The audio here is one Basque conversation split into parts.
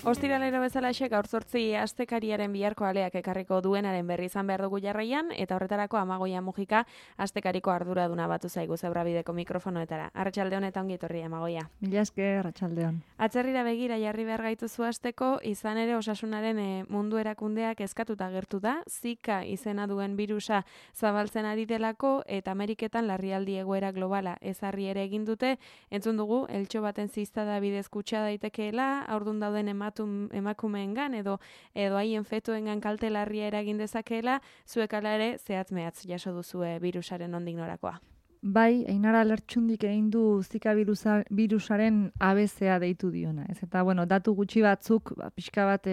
Ostiralero bezalaxe gaur 8 astekariaren biharko aleak ekarriko duenaren berri izan behar dugu jarraian, eta horretarako Amagoia Mujika astekariko arduraduna batu zaigu Zebrabideko mikrofonoetara. Arratsaldeon eta ongi etorri Amagoia. Mila esker, arratsaldeon. Atzerrira begira jarri behar gaituzu hasteko, izan ere osasunaren mundu erakundeak eskatuta agertu da, Zika izena duen birusa zabaltzen ari delako eta Ameriketan larrialdi egoera globala ezarri ere egin dute. Entzun dugu, eltxo baten ziztada bidez kutsa daitekeela, aurdun dauden emakumeengan edo haien fetoengan kalte larria eragin dezakeela, zuek hala ere zehatz mehatz jaso duzue birusaren nondik norakoa. Bai, Ainara Lertxundik egin du Zika birusaren ABC-a deitu diona. Ez? Eta, datu gutxi batzuk, pixka bat,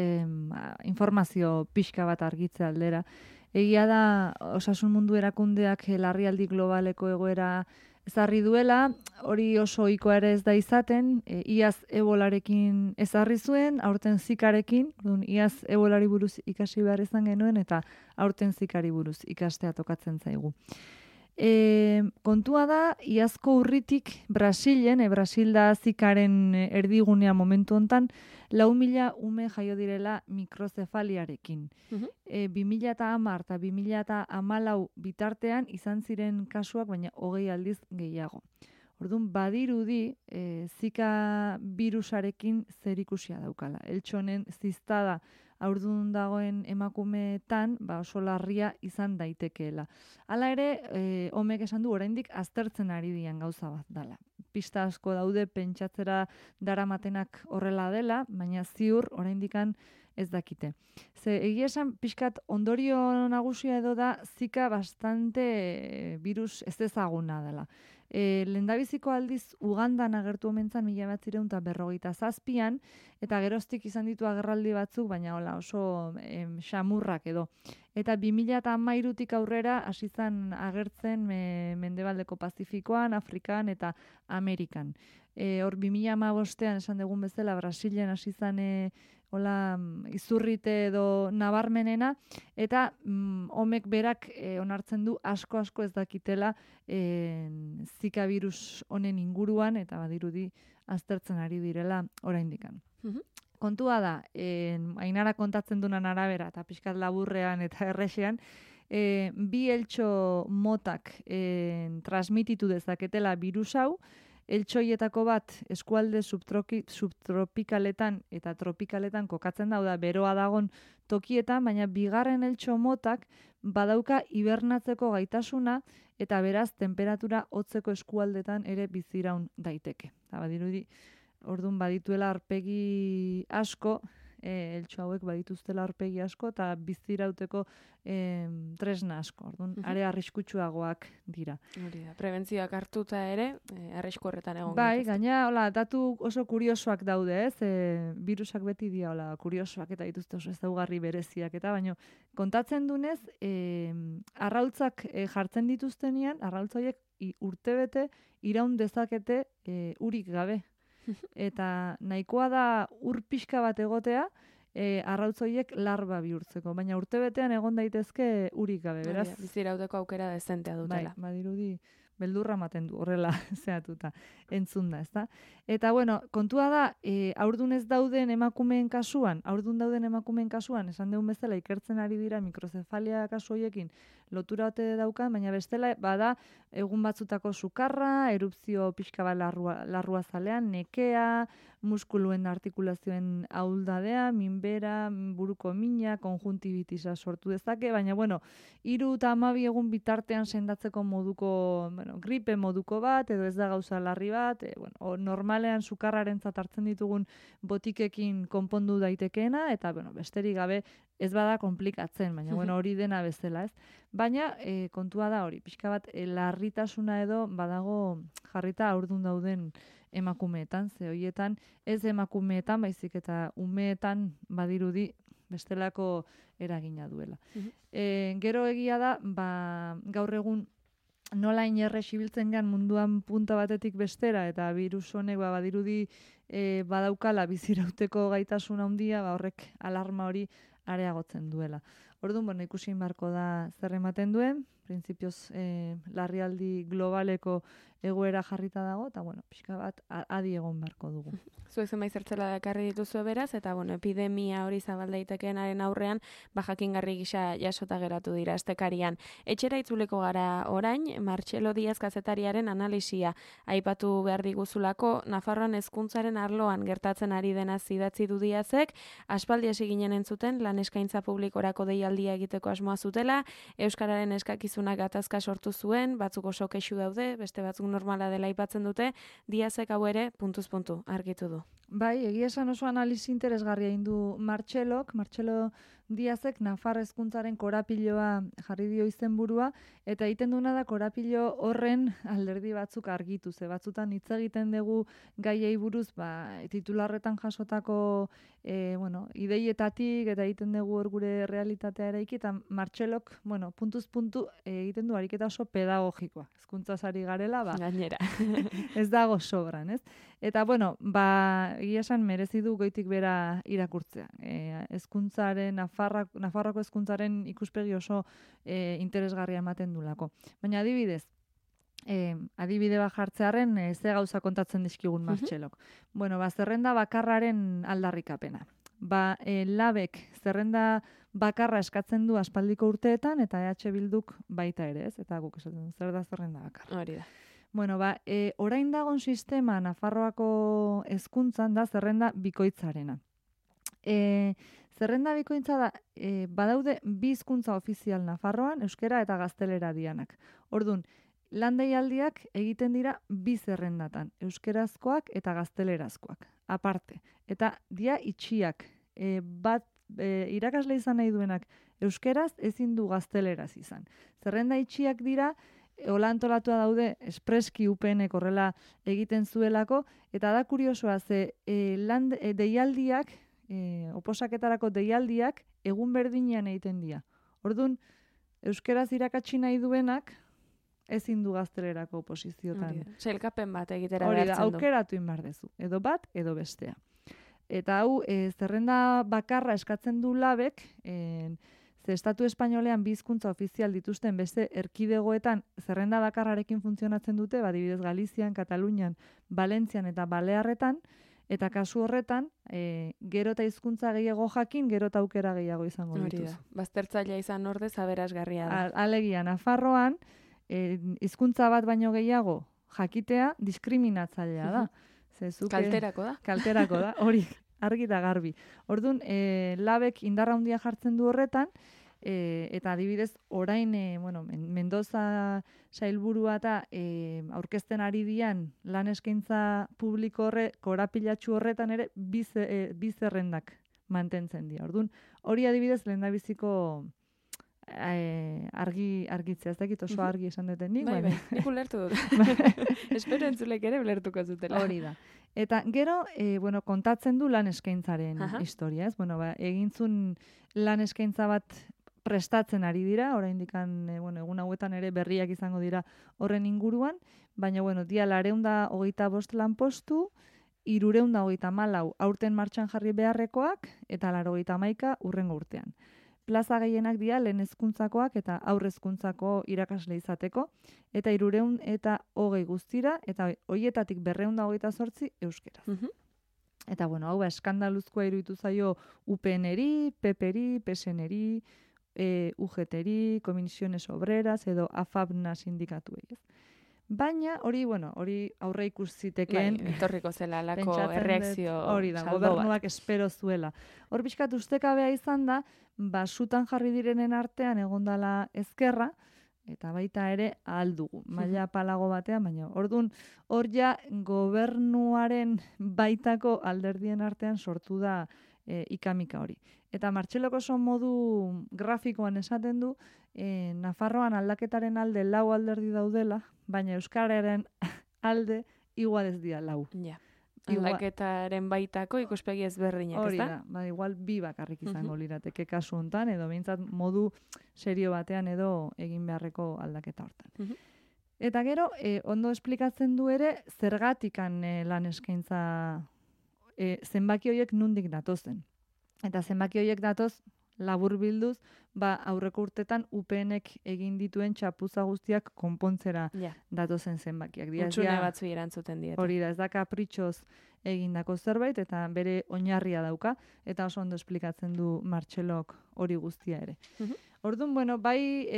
informazio pixka bat argitze aldera. Egia da, osasun mundu erakundeak larrialdi globaleko egoera ezarri duela, hori oso ohikoa ere ez da izaten, iaz ebolarekin ezarri zuen, aurten Zikarekin, iaz ebolari buruz ikasi behar izan genuen, eta aurten Zikari buruz ikastea tokatzen zaigu. Kontua da, iazko urritik Brasilen, Brasil da Zikaren erdigunea momentu hontan, 4.000 ume jaio direla mikrozefaliarekin. 2010 eta 2014 bitartean izan ziren kasuak, baina 20 aldiz gehiago. Orduan, badirudi Zika birusarekin zerikusia daukala. Eltxonen ziztada aurdun dagoen emakumeetan oso larria izan daitekeela. Hala ere, homek esan du oraindik aztertzen ari dian gauza bat dela. Pista asko daude pentsatzera daramatenak horrela dela, baina ziur oraindikan ez dakite. Ze egia esan pixkat ondorio nagusia edo da Zika bastante virus ez ezaguna dela. Lehendabiziko aldiz Ugandan agertu omentzan 1957an, eta geroztik izan ditu agerraldi batzuk, baina oso xamurrak edo. Eta 2013tik aurrera hasi zen agertzen Mendebaldeko Pazifikoan, Afrikan eta Amerikan. Hor 2015ean esan dugun bezala Brasilen hasi zen izurrite edo nabarmenena, eta homek berak onartzen du asko ez dakitela Zika virus honen inguruan, eta badirudi aztertzen ari direla oraindikan. Kontua da, Ainara kontatzen dunan arabera, eta pixkat laburrean eta errexean, bi eltxo motak transmititu dezaketela virus hau, eltxoietako bat eskualde subtropikaletan eta tropikaletan kokatzen da beroa dagon tokietan, baina bigarren eltxo motak badauka hibernatzeko gaitasuna eta beraz temperatura hotzeko eskualdetan ere biziraun daiteke. Eta badirudi, orduan badituela aurpegi asko, eltxo hauek badituztela aurpegi asko eta bizirauteko tresna asko. Orduan, are arriskutsuagoak dira. Prebentzioak hartuta ere, arrisku horretan egon. Bai, gaina, datu oso kuriosoak daude, ez? Virusak beti dira, kuriosoak eta dituzte oso ezaugarri bereziak eta, baina kontatzen dunez, arrautzak jartzen dituztenean, arrautzoiek urtebete iraun dezakete urik gabe. Eta nahikoa da ur pixka bat egotea, arrautzoiek larba bihurtzeko, baina urtebetean egon daitezke urik gabe, beraz? Bizirauteko aukera dezentea dutela. Bai, badirudi beldurra ematen du horrela zehatuta, entzun da, ezta? Eta, kontua da, aurdun dauden emakumeen kasuan, esan dugun bezala ikertzen ari dira mikrozefalia kasu horiekin lotura ote daukan, baina bestela, bada, egun batzutako sukarra, erupzio pixka bat larrua zalean, nekea, muskuluen artikulazioen ahuldadea, minbera, buruko mina, konjuntibitisa sortu dezake, baina, 3 eta 12 egun bitartean sendatzeko moduko, gripe moduko bat, edo ez da gauza larri bat, normalean sukarraren hartzen ditugun botikekin konpondu daitekeena, eta besterik gabe ez bada komplikatzen, baina hori dena bezala, ez? Baina kontua da hori, pixka bat larritasuna edo badago jarrita aurdun dauden emakumeetan, ze horietan ez emakumeetan, baizik eta umeetan badirudi bestelako eragina duela. Gero egia da, gaur egun nola inerrez ibiltzen gan munduan punta batetik bestera, eta virus honek badirudi badaukala bizirauteko gaitasun handia, horrek alarma hori areagotzen duela. Orduan, ikusi barko da zer ematen duen, printzipioz larrialdi globaleko egoera jarrita dago, eta, pixka bat adi egon beharko dugu. Zuek zenbait zertzela dakarri dituzue beraz, eta, epidemia hori zabal daitekeenaren aurrean, jakingarri gisa jasota geratu dira estekarian. Etxera itzuleko gara orain, Martxelo Diaz kazetariaren analisia aipatu behar diguzulako, Nafarroan hezkuntzaren arloan gertatzen ari dena idatzi du Diazek, aspaldi hasi ginen entzuten lan eskaintza publikorako deialdia egiteko asmoa zutela, euskararen eskakizunak gatazka sortu zuen, batzuk oso kexu daude, beste batzuk normala dela aipatzen dute, Diazek hau ere puntuz puntu argitu du. Bai, egia esan oso analisi interesgarria egin du Martxelo Diazek Nafar hezkuntzaren korapiloa jarri dio izenburua, eta egiten duna da korapilo horren alderdi batzuk argitu, ze batzutan hitz egiten dugu gaiei buruz, titularretan jasotako ideietatik, eta egiten dugu hor gure realitatea eraiki, eta Martxelok, puntuz puntu egiten du ariketa oso pedagogikoa. Hezkuntzaz ari garela, gainera. Ez dago sobran, ez? Eta, egia esan merezi du goitik bera irakurtzea. Hezkuntzaren, Nafarroako hezkuntzaren ikuspegi oso interesgarria ematen dulako. Baina adibidez, adibide bat jartzearen ze gauza kontatzen dizkigun Martxelok. Zerrenda bakarraren aldarrikapena. Labek zerrenda bakarra eskatzen du aspaldiko urteetan, eta EH Bilduk baita ere, ez? Eta guk esaten zer da zerrenda bakarra. Hori da. Orain dagon sistema Nafarroako hezkuntzan da zerrenda bikoitzarena. Zerrenda bikoitza da, badaude bi hizkuntza ofizial Nafarroan, euskera eta gaztelera dianak. Orduan, lan deialdiak egiten dira bi zerrendatan, euskerazkoak eta gaztelerazkoak, aparte. Eta dia itxiak, irakasle izan nahi duenak euskeraz ezin du gazteleraz izan. Zerrenda itxiak dira, hola antolatua daude, espreski UPNek horrela egiten zuelako, eta da kuriosoa, ze deialdiak, oposaketarako deialdiak, egun berdinean egiten dira. Orduan, euskeraz irakatsi nahi duenak, ezin du gaztelerako oposiziotan. Sailkapen bat egitera behartzen du. Hori da, aukeratu inbar dezu. Edo bat, edo bestea. Eta hau, zerrenda bakarra eskatzen du labek, ze estatu espainolean bi hizkuntza ofizial dituzten beste erkidegoetan zerrenda bakarrarekin funtzionatzen dute, adibidez Galizian, Katalunian, Valentzian eta Balearretan, eta kasu horretan, gero eta hizkuntza gehiago jakin, gero eta aukera gehiago izango dituz. Baztertzailea izan ordez aberasgarria da. Alegia, Nafarroan, hizkuntza bat baino gehiago jakitea diskriminatzailea da. Kalterako da. Kalterako da, hori, argi da garbi. Orduan, labek indarra handia jartzen du horretan, eta adibidez, orain, Mendoza sailburua eta aurkezten ari dian lan eskaintza publiko korapilatxu horretan ere bi zerrendak mantentzen dira. Orduan, hori adibidez lehendabiziko argitzea, ez dakit oso argi esan duten nik. Bai, nik ulertu dut. Espero entzulek ere ulertuko zutela. Hori da. Eta gero, kontatzen du lan eskaintzaren historia, ez? Egintzun lan eskaintza bat prestatzen ari dira, oraindikan egun hauetan ere berriak izango dira horren inguruan, baina, dia 425 lanpostu, 334 aurten martxan jarri beharrekoak, eta 91 hurrengo urtean. Plaza gehienak dira lehen hezkuntzakoak eta aurre hezkuntzako irakasle izateko, eta 320 guztira, eta horietatik 228 euskeraz. Eta, hau eskandaluzkoa iruditu zaio UPN-eri, PP-eri, PSN-eri, UGT-eri, Comisiones Obreras edo AFABNA sindikatuei. Baina, hori aurre ikus zitekeen... etorriko zela lako erreakzio hori da, gobernuak espero zuela. Hor pixkat ustekabea izan da, sutan jarri direnen artean egondala ezkerra, eta baita ere aldugu, maila palago batean, baina orduan hor ja gobernuaren baitako alderdien artean sortu da ikamika hori. Eta Martxelok oso modu grafikoan esaten du, Nafarroan aldaketaren alde 4 alderdi daudela, baina euskararen alde igual ez dira 4. Ja. Aldaketaren baitako ikuspegi ezberdinak, ez da? Hori da, igual 2 bakarrik izango lirateke kasu hontan, edo behintzat modu serio batean edo egin beharreko aldaketa hortan. Eta gero, ondo esplikatzen du ere, zergatikan lan eskaintza zenbaki horiek nundik datozen. Eta zenbaki horiek datoz, labur bilduz, aurreko urtetan UPNek egin dituen txapuza guztiak konpontzera datozen zenbakiak. Hutsune batzu erantzuten diete. Hori da, ez da kapritxoz egindako zerbait, eta bere oinarria dauka, eta oso ondo esplikatzen du Martxelok hori guztia ere. Orduan, bueno, bai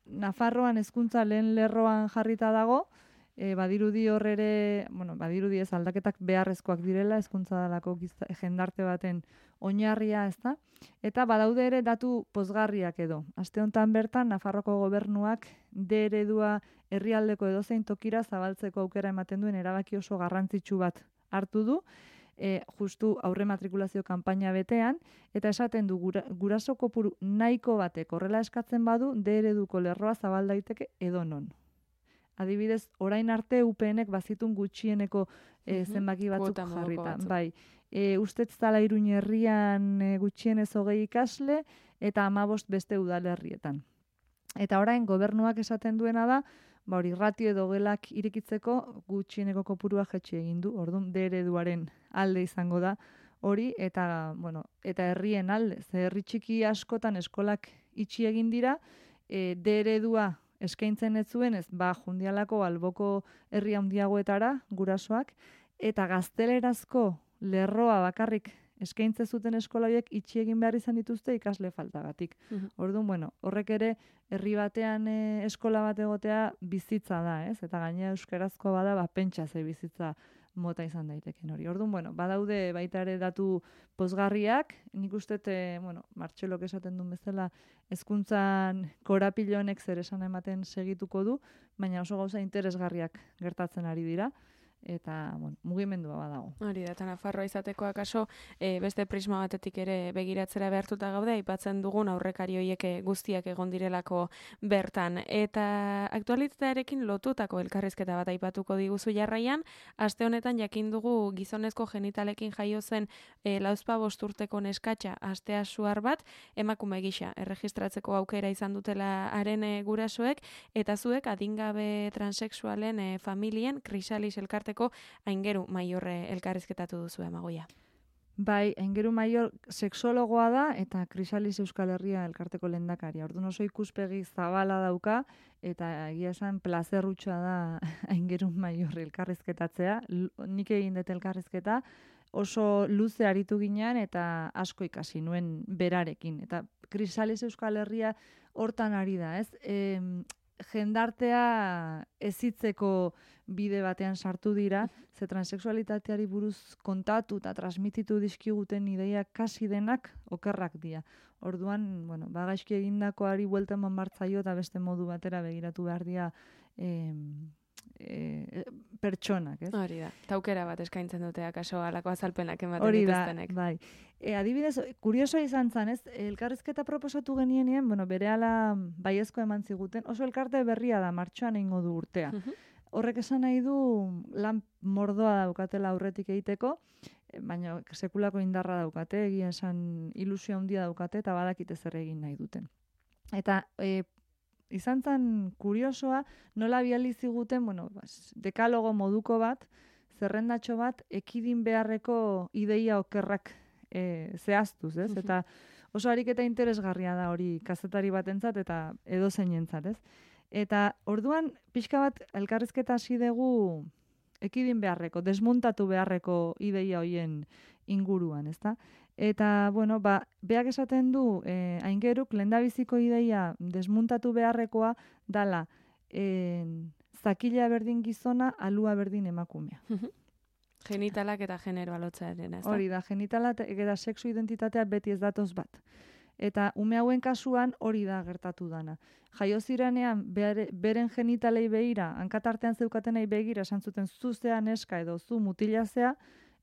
Nafarroan hezkuntza lehen lerroan jarrita dago, badirudi horrere, badirudi ez aldaketak beharrezkoak direla, hezkuntza dalako jendarte baten oinarria, ez da? Eta badaude ere datu pozgarriak edo. Aste honetan bertan, Nafarroko gobernuak D eredua herrialdeko edozein tokira zabaltzeko aukera ematen duen erabaki oso garrantzitsu bat hartu du, justu aurre matrikulazio kanpaina betean, eta esaten du guraso kopuru nahiko batek horrela eskatzen badu, D ereduko lerroa zabal daiteke edonon. Adibidez, orain arte UPNek bazitun gutxieneko zenbaki batzuk jarrita. Bai, ustez zala Iruin herrian gutxienez 20 ikasle eta 15 beste udalerrietan. Eta orain gobernuak esaten duena da, hori ratio edo gelak irekitzeko gutxieneko kopurua jetxi egin du. Orduan D ereduaren alde izango da hori eta herrien alde. Ze herri txiki askotan eskolak itxi egin dira, D eredua eskaintzen ez zuen, jundialako alboko herri handiagoetara gurasoak, eta gaztelerazko lerroa bakarrik eskaintze zuten eskola horiek itxi egin behar izan dituzte ikasle faltagatik. Orduan, horrek ere herri batean eskola bat egotea bizitza da, ez? Eta gainera euskarazkoa bada, pentsa ze bizitza mota izan daiteken hori. Orduan, badaude baita ere datu pozgarriak, nik uste, Martxelok esaten duen bezala, hezkuntzan korapilonek zer esan ematen segituko du, baina oso gauza interesgarriak gertatzen ari dira, eta mugimendua badago. Hori da, eta Nafarroa izateko akaso beste prisma batetik ere begiratzera behartuta gaude, aipatzen dugun aurrekari horiek guztiak egon direlako bertan. Eta aktualitatearekin lotutako elkarrizketa bat aipatuko diguzu jarraian, aste honetan jakin dugu gizonezko genitalekin jaio zen 45 urteko neskatxa astea suar bat, emakume gisa erregistratzeko aukera izan dutela haren gurasoek, eta zuek adingabe transexualen familien Krisalis elkarte Aingeru Maior elkarrizketatu duzu Amagoia. Bai, Aingeru Maior sexologoa da eta Krisalis Euskal Herria elkarteko lehendakaria. Orduan oso ikuspegi zabala dauka eta egia esan plazerrutxoa da Aingeru Maior elkarrizketatzea. Nik egin dut elkarrizketa oso luze aritu ginean eta asko ikasi nuen berarekin. Eta Krisalis Euskal Herria hortan ari da, ez? Jendartea ezitzeko bide batean sartu dira, ze transexualitateari buruz kontatu eta transmititu dizkiguten ideiak kasi denak okerrak dira. Orduan, gaizki egindakoari buelta eman bartzaio eta beste modu batera begiratu behar dira pertsonak, ez? Hori da, taukera bat eskaintzen dute akaso alako azalpenak ematen dituztenek. Hori da, bai. Adibidez, kuriosoa izan zen, ez? Elkarrizketa proposatu genienean, berehala baiezko eman ziguten, oso elkarte berria da, martxoan egingo du urtea. Horrek esan nahi du lan mordoa daukatela aurretik egiteko, baina sekulako indarra daukate, egia esan ilusio handia daukate, eta badakite zer egin nahi duten. Eta izan zen kuriosoa, nola biali ziguten, dekalogo moduko bat, zerrendatxo bat, ekidin beharreko ideia okerrak zehaztuz, ez? Eta oso ariketa interesgarria da hori kazetari batentzat eta edozeinentzat, ez? Eta orduan, pixka bat elkarrizketa hasi dugu ekidin beharreko, desmuntatu beharreko ideia hoien inguruan, ezta? Eta, beak esaten du, Aingeruk lehendabiziko ideia desmuntatu beharrekoa dala zakila berdin gizona, alua berdin emakumea. Genitalak eta generoa lotzearen, ez da? Hori da, genitalak eta sexu identitatea beti ez datoz bat. Eta ume hauen kasuan hori da gertatu dana. Jaio zirenean beren genitalei begira, hankatartean zeukatenei begira, esan zuten zuzea neska edo zu mutilazea,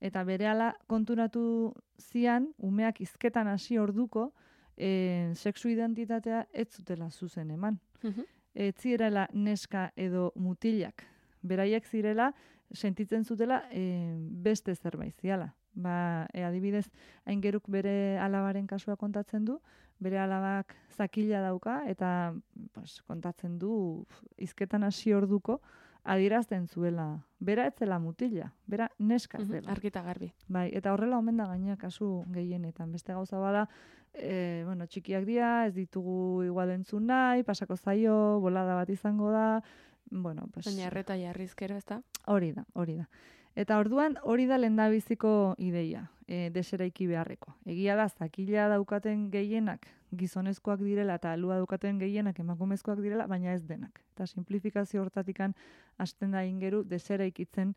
eta berehala konturatu zian, umeak hizketan hasi orduko, sexu identitatea ez zutela zuzen eman. Ez zirela neska edo mutilak. Beraiek zirela, sentitzen zutela beste zerbait ziala. Adibidez, Aingeruk bere alabaren kasua kontatzen du, bere alabak zakila dauka, eta kontatzen du hizketan hasi orduko, adierazten zuela. Bera etzela mutila, bera neska zela. Argita garbi. Bai, eta horrela omen da gaina kasu gehienetan. Beste gauza bada, txikiak dira, ez ditugu igual entzun nahi, pasako zaio, bolada bat izango da, Baina erreta jarrizkero, ez da? Hori da. Eta orduan hori da lehendabiziko ideia, deseraiki beharreko. Egia da, zakila daukaten gehienak gizonezkoak direla eta alua daukaten gehienak emakumezkoak direla, baina ez denak. Eta simplifikazio hortatikan hasten da ingeru deseraikitzen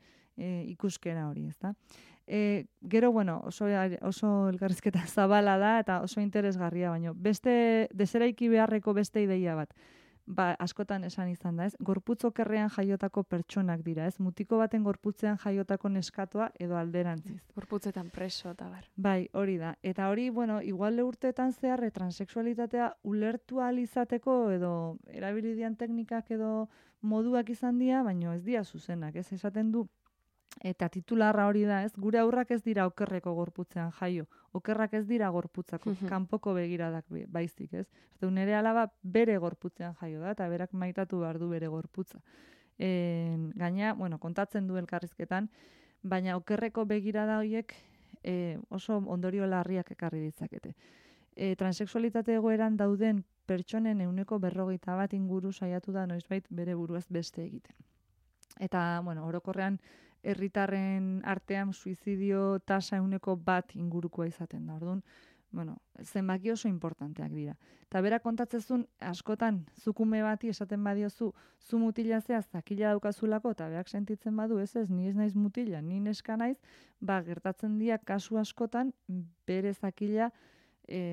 ikuskera hori, ezta? Gero, oso elkarrizketa zabala da eta oso interesgarria, baina beste deseraiki beharreko beste ideia bat. Askotan esan izan da, ez? Gorputz okerrean jaiotako pertsonak dira, ez? Mutiko baten gorputzean jaiotako neskatoa edo alderantziz. Gorputzetan preso eta bar. Bai, hori da. Eta hori, igual urteetan zehar transexualitatea ulertu ahal izateko edo erabilidian teknikak edo moduak izan dira, baina ez dira zuzenak, ez? Esaten du, eta titularra hori da, ez? Gure aurrak ez dira okerreko gorputzean jaio. Okerrak ez dira gorputzako, kanpoko begiradak baizik, ez? Nere alaba bere gorputzean jaio da, eta berak maitatu behar du bere gorputza. Gaina, kontatzen du elkarrizketan, baina okerreko begirada horiek oso ondorio larriak ekarri ditzakete. Transexualitate egoeran dauden pertsonen 40% inguru saiatu da noizbait bere buruaz beste egiten. Eta, orokorrean, herritarren artean suizidio tasa 1% ingurukoa izaten da. Orduan, zenbaki oso importanteak dira. Eta bera kontatzezun, askotan, zukume bati esaten badiozu, zu mutila zea zakila daukazulako, eta berak sentitzen badu, ez, ni ez naiz mutila, ni neska naiz, gertatzen dira kasu askotan, bere zakila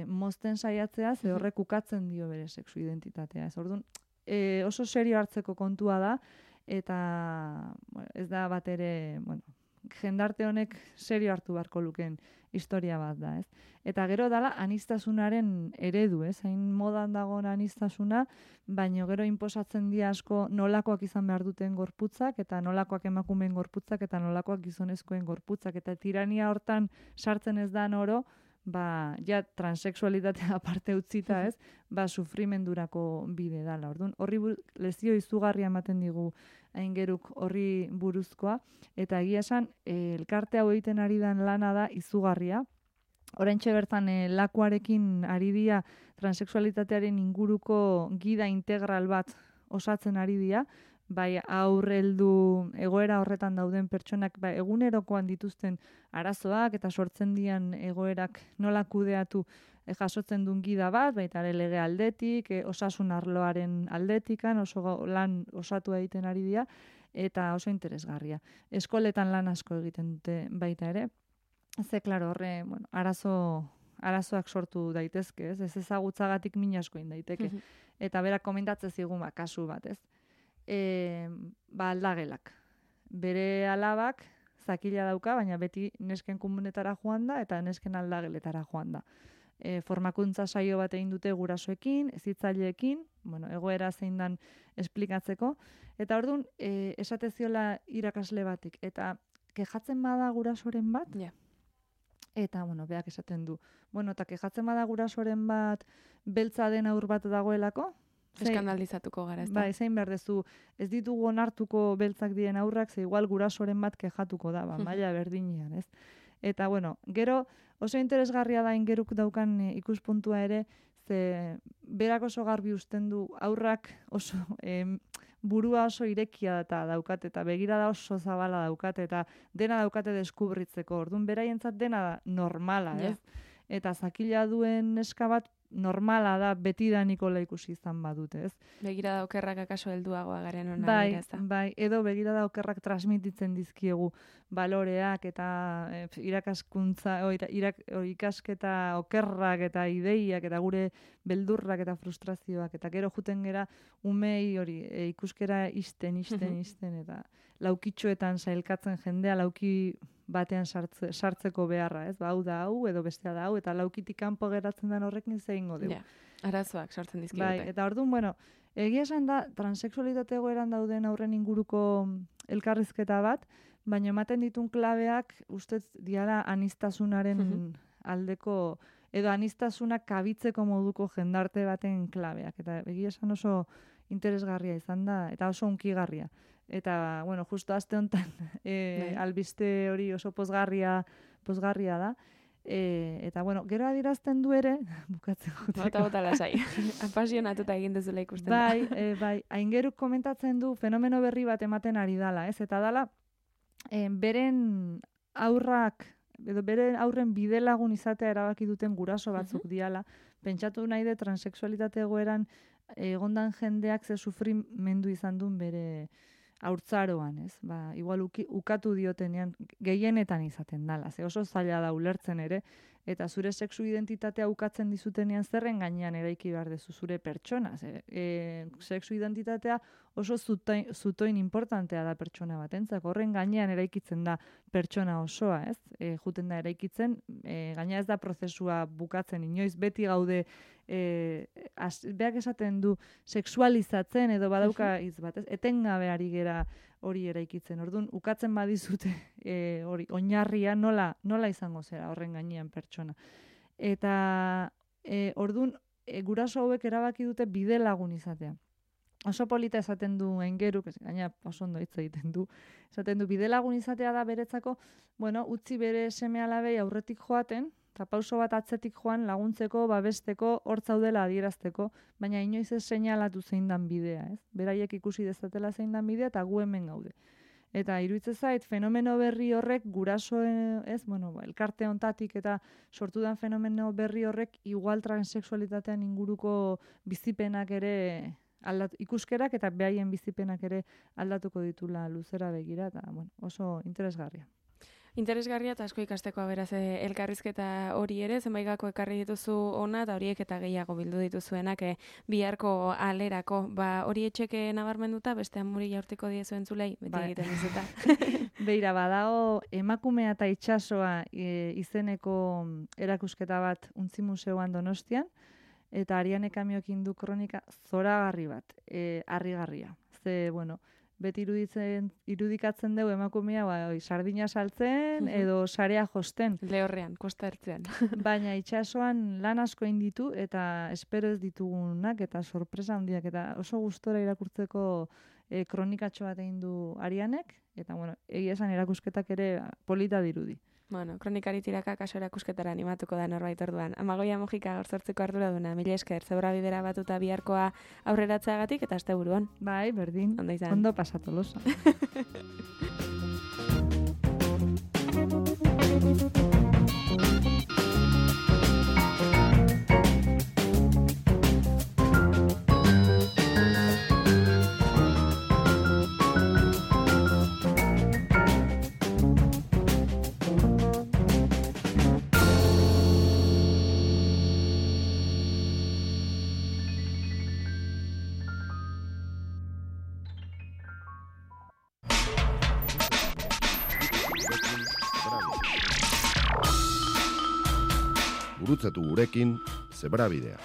mozten saiatzea, ze horrek ukatzen dio bere sexu identitatea. Ez orduan, oso serio hartzeko kontua da, eta ez da bat ere, jendarte honek serio hartu beharko lukeen historia bat da, ez? Eta gero dala aniztasunaren eredu, ez? Hain modan dagoen aniztasuna, baina gero inposatzen dira asko nolakoak izan behar duten gorputzak, eta nolakoak emakumeen gorputzak, eta nolakoak gizonezkoen gorputzak, eta tirania hortan sartzen ez da oro, ja transexualitatea aparte utzita, ez? Sufrimendurako bide dala. Orduan, horri lezio izugarria ematen digu aingeruk horri buruzkoa, eta egia esan, elkarte hau egiten ari den lana da izugarria. Oraintxe bertan lakuarekin ari dira transexualitatearen inguruko gida integral bat osatzen ari dira, bai aurreldu egoera horretan dauden pertsonak egunerokoan dituzten arazoak eta sortzen dian egoerak nola kudeatu jasotzen duen gida bat, baita ere lege aldetik, osasun arloaren aldetikan, oso lan osatu egiten ari dira, eta oso interesgarria. Eskoletan lan asko egiten dute baita ere. Ze, klaro, horre, arazoak sortu daitezke, ez ezagutzagatik min asko daiteke. Eta berak komentatzen zigun kasu bat, ez? Aldagelak. Bere alabak zakila dauka, baina beti nesken komunetara joan da, eta nesken aldageletara joan da. Formakuntza saio bat egin dute gurasoekin, hezitzaileekin, egoera zein dan esplikatzeko, eta orduan, esate ziola irakasle batik, eta kejatzen bada gurasoren bat, eta, beak esaten du, eta kejatzen bada gurasoren bat, beltza den aur bat dagoelako, eskandalizatuko gara, ez da? Bai, zein behar dezu, ez ditugu onartuko beltzak diren aurrak, ze igual gurasoren bat kejatuko da, maila berdinean, ez? Eta, gero oso interesgarria da ingeruk daukan ikuspuntua ere, ze berak oso garbi usten du aurrak oso burua oso irekia eta daukate, eta begirada oso zabala daukate, eta dena daukate deskubritzeko. Orduan, beraientzat dena da normala, ez? Eta zakila duen neska bat normala da betidaniko ikusi izan badute, ez? Begirada okerrak akaso helduagoa garen ona bai, ez da? Bai, edo begirada okerrak transmititzen dizkiegu baloreak eta irakaskuntza, ikasketa okerrak eta ideiak eta gure beldurrak eta frustrazioak, eta gero juten gera umei hori ikuskera isten, eta laukitxoetan sailkatzen jendea lauki batean sartzeko beharra, ez? Hau da hau, edo bestea da hau, eta laukitik kanpo geratzen den horrekin zeingo dugu. Arazoak sortzen dizkigute. Bai, eta orduan, egia esan da, transexualitate egoeran dauden aurren inguruko elkarrizketa bat, baina ematen ditun klabeak, ustez diala anistasunaren aldeko, edo anistasunak kabitzeko moduko jendarte baten klabeak. Eta egia esan oso interesgarria izan da, eta oso unkigarria. Eta, bueno, justo aste honetan albiste hori oso pozgarria da. Eta, bueno, gero adierazten du ere, bukatzen joteko. Bota lasai, apasionatuta egin dezula ikusten da. Bai, Aingeruk komentatzen du fenomeno berri bat ematen ari dala, ez? Eta dala, beren aurren bidelagun izatea erabaki duten guraso batzuk diala, pentsatu nahi de transexualitate egoeran egondan jendeak ze sufrimendu izan duen bere haurtzaroan, ez? Ba, igual ukatu diotenean gehienetan izaten dala, ze oso zaila da ulertzen ere, eta zure sexu identitatea ukatzen dizutenean zerren gainean eraiki behar dezu zure pertsona. Sexu identitatea oso zutoin importantea da pertsona batentzak, horren gainean eraikitzen da pertsona osoa, ez? Juten da eraikitzen, gaina ez da prozesua bukatzen, inoiz beti gaude, beak esaten du sexualizatzen edo badauka hitz bat, ez? Etengabe ari gera hori eraikitzen. Orduan, ukatzen badizute hori oinarria nola izango zera horren gainean pertsona. Eta orduan, guraso hauek erabaki dute bide lagun izatea. Oso polita esaten du Aingeruk, gaina oso ondo hitz egiten du, esaten du bide lagun izatea da beretzako, bueno, utzi bere seme-alabei aurretik joaten, eta pauso bat atzetik joan laguntzeko, babesteko, hor zaudela adierazteko, baina inoiz ez seinalatu zein dan bidea, ez? Beraiek ikusi dezatela zein dan bidea, eta gu hemen gaude. Eta iruditzen zait, fenomeno berri horrek guraso, elkarte hontatik eta sortu den fenomeno berri horrek igual transexualitatean inguruko bizipenak ere ikuskerak eta behaien bizipenak ere aldatuko ditula luzera begira, eta oso interesgarria. Interesgarria eta asko ikasteko beraz elkarrizketa hori ere, zenbait gako ekarri dituzu ona, eta horiek eta gehiago bildu dituzuenak biharko alerako. Hori etxeke nabarmenduta, beste amuri jaurtiko diezu entzulei, beti egiten dizuta. Beira, badago emakumea eta itsasoa izeneko erakusketa bat Untzi Museoan Donostian, eta Ariane Kamiokin du kronika zoragarri bat, harrigarria. Ze, beti irudikatzen dugu emakumea sardina saltzen edo sarea josten. Lehorrean, kosta ertzean. Baina itsasoan lan asko egin ditu eta espero ez ditugunak eta sorpresa handiak eta oso gustora irakurtzeko kronikatxo bat egin du Arianek eta egia esan erakusketak ere polita dirudi. Kronikari tiraka kaso erakusketara animatuko da norbait orduan. Amagoia Mojika gaur sortzeko arduraduna, mila esker, Zebrabidera batuta biharkoa aurreratzeagatik eta asteburuan. Bai, berdin, ondo pasatu losa. Gurutzatu gurekin Zebrabidea.